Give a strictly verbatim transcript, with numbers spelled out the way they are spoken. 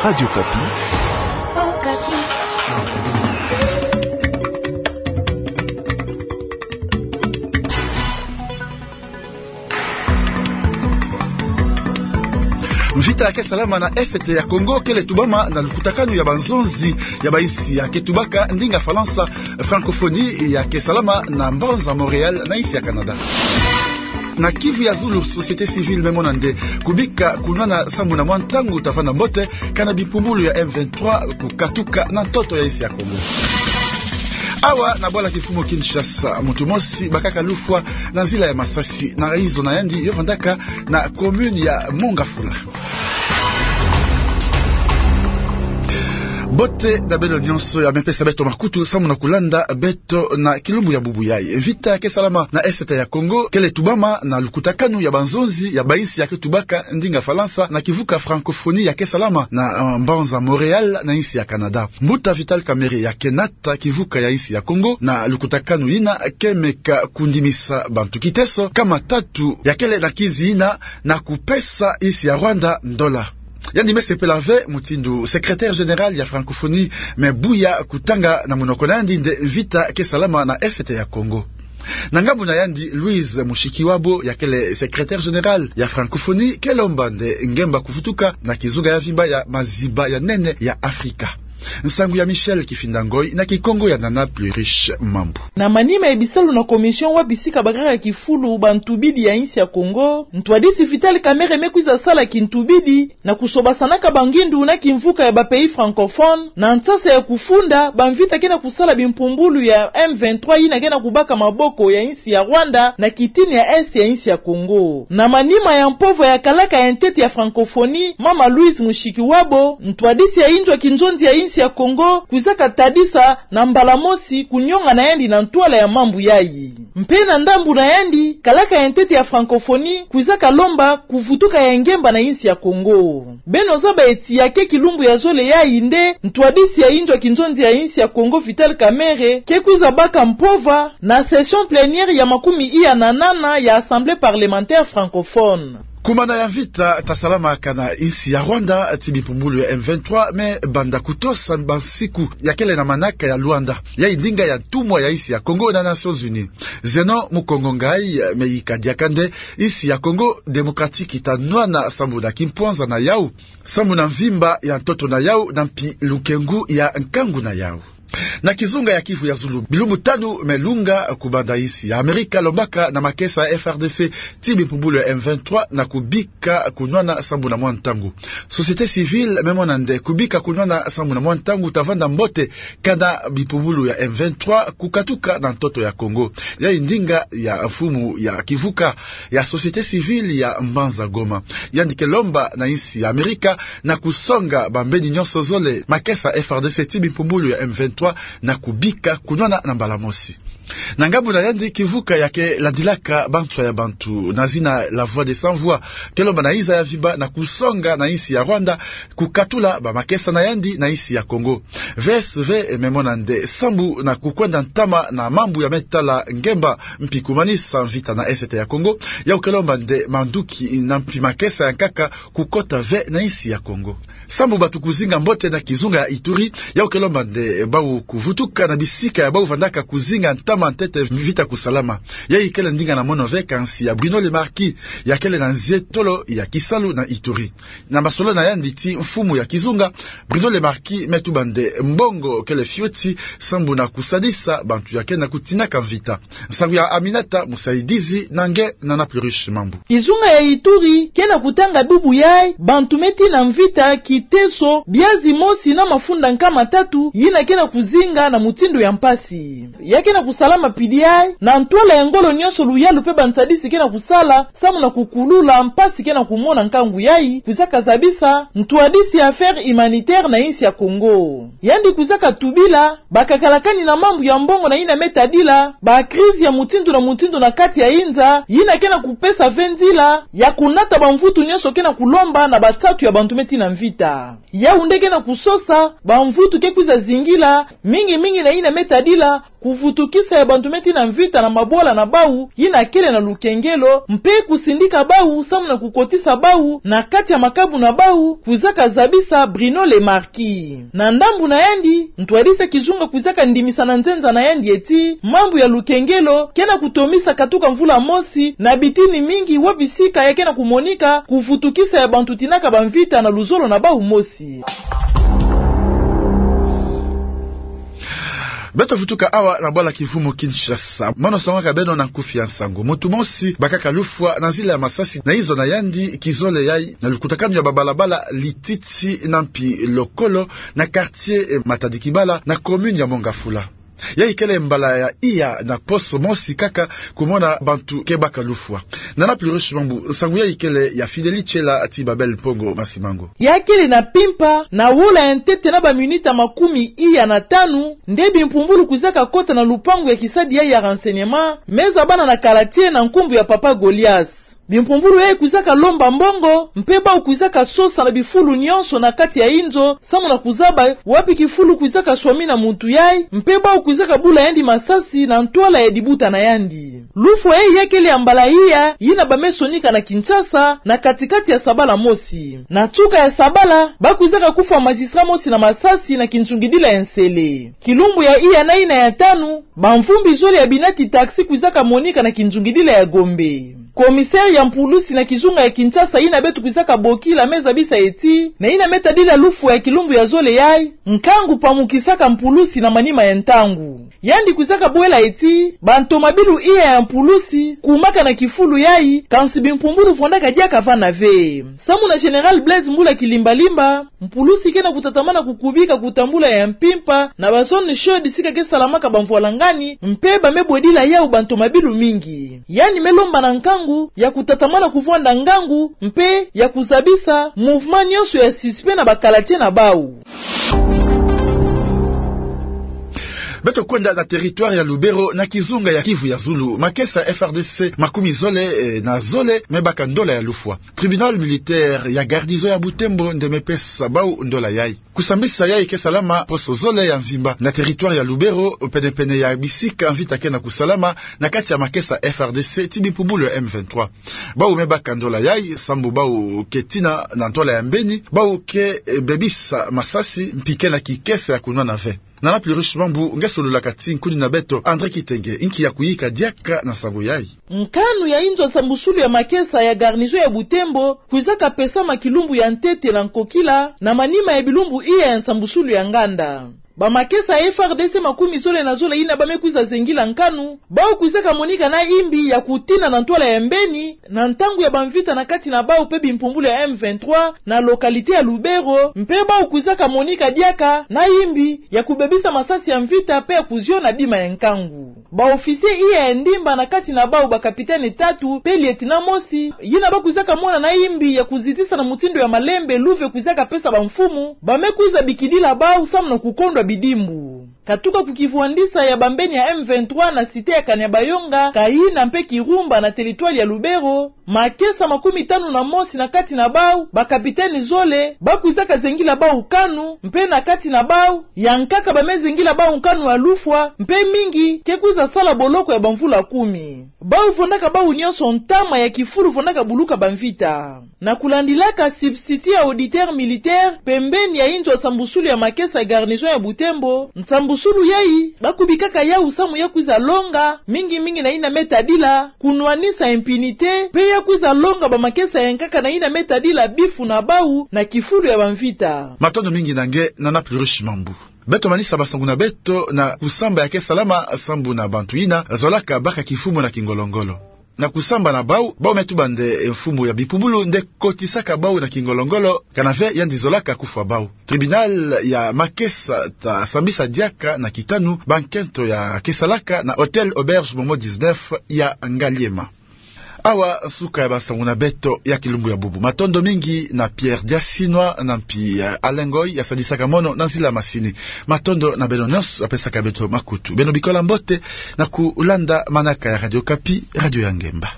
Radio Okapi. Mvita ya ke salama na Est ya Congo kele tubama na lukutakanu ya banzonzi ya bainsi ya ke tubaka ndinga Falansa, francophonie, ya ke salama na mbanza Montréal na insi ya Canada. Na Kivu ya Zulu, société civile me mona nde kubika kunwana sambu na mwa ntangu ta vanda mbote kana bimpumbulu ya M vingt-trois kukatuka na ntoto ya insi ya Congo. Awa na bwala kimfumu Kinshasa, muntu mosi bakaka lufwa na nzila ya masasi na raison na yandi yo vandaka na commune ya Mont-Ngafula. Mbote na beno nyonso ya me pesa beto makutu sambu na kulanda beto na kilumbu ya bubu yayi. Mvita ya ke salama na Est ya Congo kele tubama na lukutakanu ya banzonzi ya bainsi ya ke tubaka ndinga Falansa na kivuka francophonie ya ke salama na, eh, mbanza Montréal na insi ya Canada. Mbuta Vital Kamerhe ya ke nata kivuka ya insi ya Congo na lukutakanu yina ke meka kundimisa bantu kiteso kama tatu ya kele na kizi yina na kupesa insi ya Rwanda ndola. Yandi me sepela ve mutindu secrétaire général ya francophonie me buya kutanga na munoko na yandi nde mvita ke salama na Est ya Congo. Na ngambu na yandi, Louise Mushikiwabo ya kele secrétaire général ya francophonie ke lomba nde ngemba kuvutuka na kizunga ya vimba ya maziba ya nene ya Afrika. Nsangu ya Michel Kifinda Ngoy na Kikongo ya Nana Pluriche Mambu. Na manima ya bisalu na commission wa bisika bakaka kifulu bantubidi ya insi ya Congo, ntwadisi Vital Kamerhe me kwiza sala kintubidi na kusobasanaka bangindu na kimvuka ya ba pays francophones na nsasa ya kufunda bamvita ke na kusala bimpumbulu ya M vingt-trois yina ke na kubaka maboko ya insi ya Rwanda na kitini ya Est ya insi ya Congo. Na manima ya mpova ya kalaka ya ntete ya francophonie, mama Louise Mushikiwabo, ntwadisi ya inzo ya kinzonzi ya insi ya Congo, kwizaka tadisa na mbala mosi kunyonga na yandi na ntwala ya mambu yayi. Mpe na ndambu na yandi, kalaka ya ntete ya francophonie kwizaka lomba kuvutuka ya ngemba na insi ya Congo. Beno zaba eti ya ke kilumbu ya zole yayi nde ntwadisi ya inzo ya kinzonzi ya insi ya Congo, Vital Kamerhe, ke kwiza baka mpova na session plénière ya makumi iya na nana ya Assemblée parlementaire francophone. Kumana ya mvita ta salamaka na insi ya Rwanda ti bimpumbulu ya M vingt-trois me banda kutosa bansiku ya kele na manaka ya Luanda, yayi ndinga ya ntumwa ya insi ya Congo na Nations Unies. Zeno Mukongo Ngai me yika diaka nde insi ya Congo Démocratique ta nwana sambu na kimpwanza na yau, sambu na mvimba ya ntoto na yau, na mpi lukengu ya nkangu na yau. Na kizunga ya Kivu ya Zulu, bilumbu tanu me lunga kubanda insi ya Amerika lombaka na makesa ya F R D C ti bimpumbulu ya M vingt-trois na kubika kunwana sambu na mwa ntangu. Société civile me mona nde kubika kunwana sambu na mwa ntangu ta vanda mbote kana bimpumbulu ya M vingt-trois kukatuka na ntoto ya Congo. Yayi ndinga ya mfumu ya kivuka ya société civile ya mbanza Goma. Yandi ke lomba na insi ya Amerika na kusonga bambeni nyonso zole, makesa F R D C ti bimpumbulu ya M vingt-trois, na kubika kunwana na mbala mosi. Na ngambu na yandi, kivuka ya ke landilaka banswa ya bantu na zina La Voix des Sans Voix ke lomba na inza ya vimba na kusonga na insi ya Rwanda kukatula bamakesa na yandi na insi ya Congo. V S V me mona nde sambu na kukwenda ntama na mambu ya me tala ngemba mpi kumanisa mvita na Est ya Congo, yau ke lomba nde manduki na mpi makesa ya nkaka kukota ve na insi ya Congo. Sambu bantu kuzinga mbote na kizunga ya Ituri, yau ke lomba nde bau kuvutuka na bisika ya bau vandaka kuzinga ntama ntete mvita kusalama. Yayi kele ndinga na mono ve kansi ya Bruno Le Marquis, ya kele na nzietolo ya kisalu na Ituri. Na masolo na yandi ti mfumu ya kizunga, Bruno Le Marquis me tuba nde mbongo kele fioti sambu na kusadisa bantu ya ke na kutinaka mvita. Nsangu ya Aminata Musaidizi na nge Nana Pluriche Mambu. Kizunga ya Ituri ke na kutanga bubu yayi bantu me tina mvita kiteso biazi mosi na mafunda nkama tatu yina ke na kuzinga na mutindu ya mpasi. Ya ke na kusalama pidi yayi na ntwala ya ngolo nyonso, luyalu mpe bansadisi ke na kusala sambu na kukulula mpasi ke na kumona nkangu yayi, kwizaka zabisa ntwadisi ya Affaires Humanitaires na insi ya Congo. Yandi kwizaka tubila bakakalakani na mambu ya mbongo na yina me tadila ba crise ya mutindu na mutindu na kati ya inza, yina ke na kupesa ve nzila ya kunata bamvutu nyonso ke na kulomba na bansatu ya bantu me tina mvita. Yau nde ke na kusosa bamvutu ke kwiza zingila, mingi mingi na yina me tadila kuvutukisa ya bantu me tina mvita na mabwala na bau yina kele na lukengelo, mpe kusindika bau samu na kukotisa bau na kati ya makabu na bau, kwizaka zabisa Bruno Le Marquis. Na ndambu na yandi, ntwadisi ya kizunga kwizaka ndimisa na nzenza na yandi ti mambu ya lukengelo ke na kutomisa katuka mvula mosi na bitini mingi wa bisika ya ke na kumonika kuvutukisa ya bantu tinaka bamvita na luzolo na bau mosi. Beto vutuka awa na bwala kivumu Kinshasa. Mono songaka beno na nkufi ya nsangu. Muntu mosi bakaka lufwa na nzila ya masasi na inzo na yandi kizole yai na lukutakanu ya babalabala Lititi na mpi Lokolo na quartier, eh, Matadi Kibala na commune ya Mont-Ngafula. Yai kele mbala ya iya na poso mosi kaka kumona bantu ke baka lufwa. Nana Pluriche Mambu, nsangu yai kele ya Fidèle Tshela ti Babel Mpongo Masimango. Ya kele na mpimpa, na wola ya ntete na baminita makumi iya na tanu, nde bimpumbulu kwizaka kota na lupangu ya kisadi yai ya renseignement, me zabana na kalatier na nkumbu ya Papa Goliath. Bimpumbulu yai kwizaka lomba mbongo, mpe bau kwizaka sosa na bifulu nyonso na kati ya inzo, samu na kuzaba wapi kifulu kwizaka swamina muntu yai, mpe bau kwizaka bula yandi masasi na ntwala ya dibuta na yandi. Lufwa yai ya kele ya mbala iya yina ba me sonika na Kinshasa, na katikati ya sabala mosi. Na nsuka ya sabala, ba kwizaka kufwa magistrat mosi na masasi na kinzungidila ya Nsele. Kilumbu ya iya na yina ya tanu, bamvumbi zole ya binati taxi kwizaka monika na kinzungidila ya Gombe. Commissaire ya mpulusi na kizunga ya Kinshasa yina beto kwizaka bokila me zabisa ti, na yina me tadila lufwa ya kilumbu ya zole yai, nkangu pamukisaka mpulusi na manima ya ntangu. Yandi kwizaka bwela ti, bantomabilu iya ya mpulusi kumaka na kifulu yai, kansi bimpumbulu vwandaka diaka vana ve. Samu na Général Blaise Mbula Kilimbalimba, mpulusi ke na kutatamana kukubika kutambula ya mpimpa na ba zones chaudes sika ke salamaka bamvwalangani, mpe ba me bwedila yau bantomabilu mingi. Yandi me lomba na nkangu ya kutatamana kuvwanda ngangu, mpe ya kuzabisa mouvement nyonso ya suspect na bakalatier na bau. Beto kwenda na territoire ya Lubero, na kizunga ya Kivu ya Zulu. Makesa F R D C makumi zole, eh, na zole me baka ndola ya lufwa. Tribunal militaire ya garnison ya Butembo nde me pesa bau ndola yai. Kusambisa yai ke salama poso zole ya mvimba na territoire ya Lubero, penepene ya bisika mvita ke na kusalama na kati ya makesa F R D C ti bimpumbulu ya M vingt-trois. Bau me baka ndola yai, sambu bau ke tina na ntwala ya mbeni, bau ke, eh, bebisa masasi, mpi ke na kikese ya kunwana ve. Nana Pluriche Mambu nge sololaka ti nkuni na beto André Kitenge, inki ya kuyika diaka na nsangu yai. Nkanu ya inzo nsambusulu ya makesa ya garnison ya Butembo kwizaka pesama kilumbu ya ntete na nkokila, na manima ya bilumbu iya ya nsambusulu ya nganda. Bamakesa ya F R D C makumi zole na zole yina ba me kwiza zengila nkanu, bau kwizaka monika na imbi ya kutina na ntwala ya mbeni, na ntangu ya bamvita na kati na bau mpe bimpumbulu ya M vingt-trois, na localité ya Lubero, mpe bau kwizaka monika diaka na imbi ya kubebisa masasi ya mvita mpe ya kuziona bima ya nkangu. Ba officier iya ya ndimba, na kati na bau ba capitaine tatu mpe lieutenant mosi, yina ba kwizaka mona na imbi ya kuzitisa na mutindu ya malembe luve kwizaka pesa bamfumu, ba me kwiza bikidila bau samu na kukondwa bidimbu. Katuka ku kivwandisa ya bambeni ya M vingt-trois na cité ya Kanyabayonga, Kaina mpe Kirumba na territoire ya Lubero, makesa makumi tanu na mosi na kati na bau, ba capitaine zole, ba kwizaka zengila bau nkanu, mpe na kati na bau, ya nkaka ba me zengila bau nkanu ya lufwa, mpe mingi ke kwiza sala boloko ya bamvula kumi. Bau vwandaka bau nyonso ntama ya kifulu vwandaka buluka bamvita. Na kulandilaka substitut ya auditeur militaire pembeni ya inzo nsambusulu ya makesa ya garnison ya Butembo, nsambusulu yai ba kubikaka yau samu ya kwiza longa, mingi mingi na yina me tadila kunwanisa impunité, mpe ya kwiza longa bamakesa ya nkaka na yina me tadila bifu na bau na kifulu ya bamvita. Matondo mingi na nge, Nana Pluriche Mambu. Beto manisa bansangu na beto na kusamba ya ke salama sambu na bantu yina zolaka baka kifumu na kingolongolo. Na kusamba na bau, bau me tuba nde mfumu ya bimpumbulu nde kotisaka bau na kingolongolo, kana ve yandi zolaka kufwa bau. Tribunal ya makesa ta sambisa diaka na kitanu bankento ya ke salaka na Hôtel Auberge Momo dix-neuf ya Ngaliema. Awa nsuka ya bansangu na beto ya kilumbu ya bubu. Matondo mingi na Pierre Diasinwa na mpi, eh, Alain Ngoy ya sadisaka mono na nzila masini. Matondo na beno nyonso ya pesaka beto makutu. Beno bikola mbote na kulanda manaka ya Radio Okapi, radio ya ngemba.